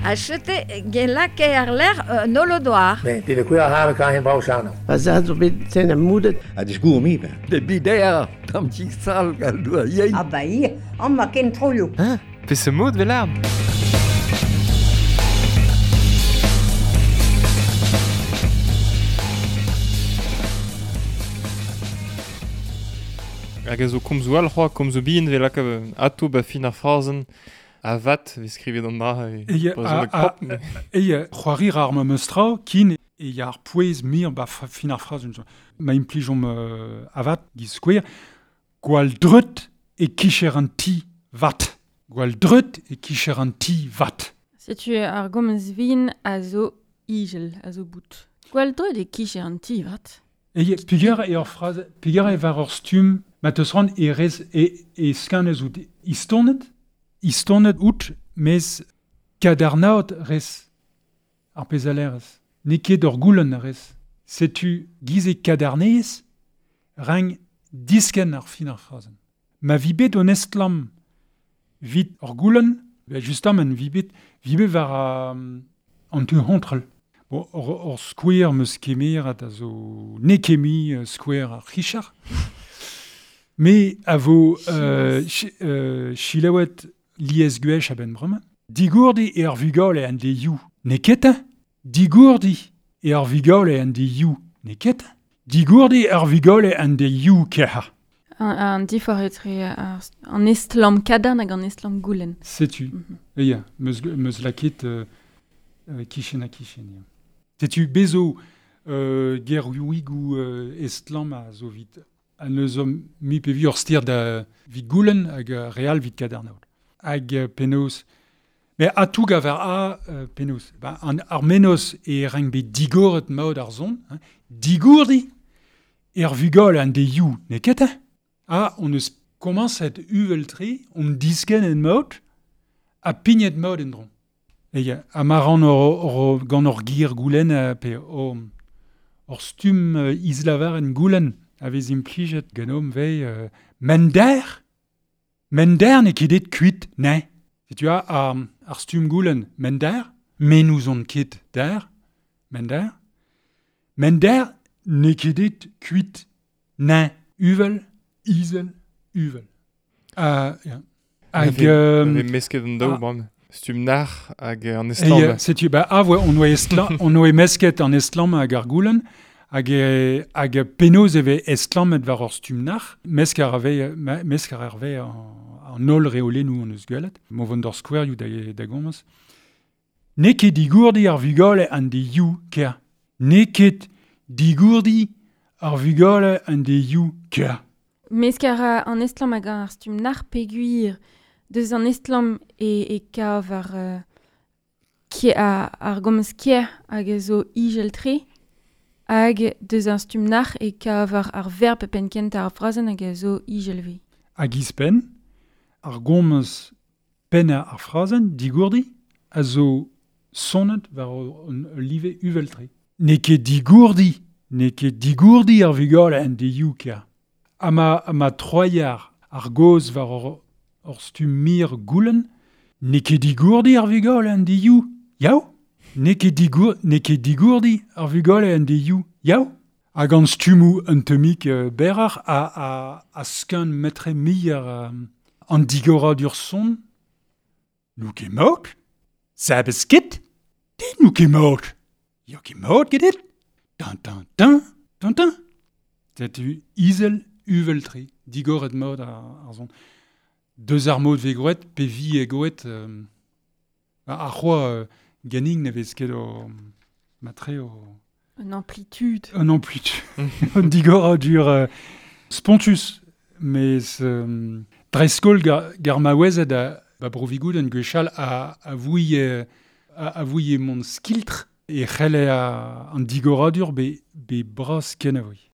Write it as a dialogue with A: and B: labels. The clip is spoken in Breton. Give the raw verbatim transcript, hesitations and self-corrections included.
A: A chete gen lake ar ler euh, nolodoar.
B: Nee, die de koe har kan geen bouw.
C: Pa za zo bet sen am moudet.
D: A disgour mi ben.
E: De bider, tam ti sal gal doa yein.
F: Ah ba ir, an ma ken troio.
G: Hein? Pe se mod velar? Hag a zo komzo al c'hoa, komzo bihan vel lak ato ba fin ar frazen a vat vez skrivet an dra e
H: E c'hoari ar ma meustra kin e ya ar pouez mir ba fin ar frazen. Ma implijom euh, avat giz skouer gwall dreut e kicher an ti vat. Gwall dreut e kicher an ti vat.
I: Setu ar gomz vin a zo igel, a zo bout. Gwall dreut e kicher an ti vat.
H: E puger e ur phrase, puger e war ur stumm ma teus ran e rez e, e skanez out istonet, istonet out, mez kadarnaot rez ar pezalerez. N'eo ket ur goulenn rez. Setu giz e kadarnez rang disken ar fin ar frazen. Ma vi bet on estlam vit ur goulenn, ben justement vi bet, vi bet war um, an tu hontrel. Bon, ur, ur skouer meus kemerat a zo nekemi uh, skouer ar Richard. Me a vo euh, ch, euh, chilaouet liez gwech a ben bremañ. Digourdi e ar vugale an de you neketa. Digourdi e ar vugale an de you neketa. Digourdi ar vugale an de you keha.
I: An, an difor etre ar, an estlam kadarn hag an estlam goulenn.
H: Setu. Mm -hmm. E ya, meus, meus laket euh, euh, kichen ha kichen. Ya. Setu bezo euh, gerioùigoù euh, estlam a zo vit. An eus mi pe vi ur stir da vit goulenn hag real vit kadarnaout. Hag penaos. Mais a tout gaver a euh, penaos. Ba, an ar menos e rang bet digoret maod ar zon. Hein. Digourdi er vugale an de you neket. A on eus komañset uvel-tre, on disken en maod, a pignet maod en dron. E ya, a ma ran ur, ur, gant ur gir goulenn pe ur, ur stumm uh, islavar en goulenn. A vez implijet ganom vei euh, mender mender ne ket et kuit ne. Setu a ar, ar stumm goulenn mender me nous on ket der mender mender ne ket et kuit ne uvel izel uvel. Uh, ya.
G: Hag euh, mesket an daou bram. Stumm nar hag an estlam.
H: E, setu ba a voa on oa estlam on oa mesket an estlam hag ar goulenn. Hag, e, hag penaos e vez estlammet war ur stumm nar, mesk ar vez, mesk ar vez an, an holl reolennoù an eus gwelet, mo vont d'ur skouerioù da, da gomz. N'eo ket digourdi ar vugale an de you ker. N'eo ket digourdi ar vugale an de you ker.
I: Mesk ar an estlam hag ar stumm nar peguir deus an estlam e, e kav ar, uh, kie, a, ar gomz kier hag a zo igel tre. Hag deus ar stumm nar e kav ar, ar verb penn kent ar frazenn hag a zo igelve.
H: Hag izpenn, ar gomz penn ar frazenn digourdi a zo sonet war un live uveltre. N'eo ket digourdi, n'eo ket digourdi ar vugale an de you ker. Ha ma, ma troiar ar goz war ur, ur stumm mir goulenn, n'eo ket digourdi ar vugale an de you, yaou? N'eo ket digour, n'eo ket digourdi ar vugale an de you, yaou? Hag an stummoù un temik euh, berrar a, a, a skeun metre mir euh, an digoradur son. Nou ket maot? Sabes ket? Dit nou ket maot? Yo ket maot get it? Tan tan tan, tan tan. Setu izel uvel-tre, digoret maot ar, ar zon. Deus ar maot ve groet, pe vi e groet euh, ar c'hoa euh, ganing ne vez ket o matre o...
I: Un amplitude.
H: Un amplitude. Un digoradur euh, spontus, mais euh, dreskol gar, gar maouezet a ba brovigoud an gwechall a, a vouie a, a vouie mont skiltr e c'helle a, an digoradur be, be bras ken a voi.